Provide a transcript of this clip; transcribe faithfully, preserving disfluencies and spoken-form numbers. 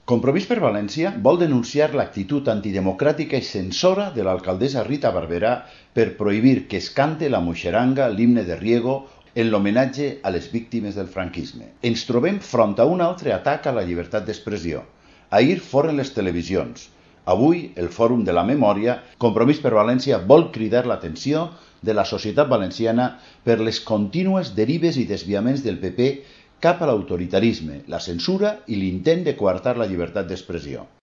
Compromís per València vol denunciar l'actitud antidemocràtica i censora de l'alcaldessa Rita Barberà per prohibir que es cante la Muixeranga, l'himne de Riego, en l'homenatge a les víctimes del franquisme. Ens trobem front a un altre atac a la llibertat d'expressió. Ahir foren les televisions. Avui, el Fòrum de la Memòria, Compromís per València vol cridar l'atenció de la societat valenciana per les contínues derives i desviaments del P P cap a l'autoritarisme, la censura i l'intent de coartar la llibertat d'expressió.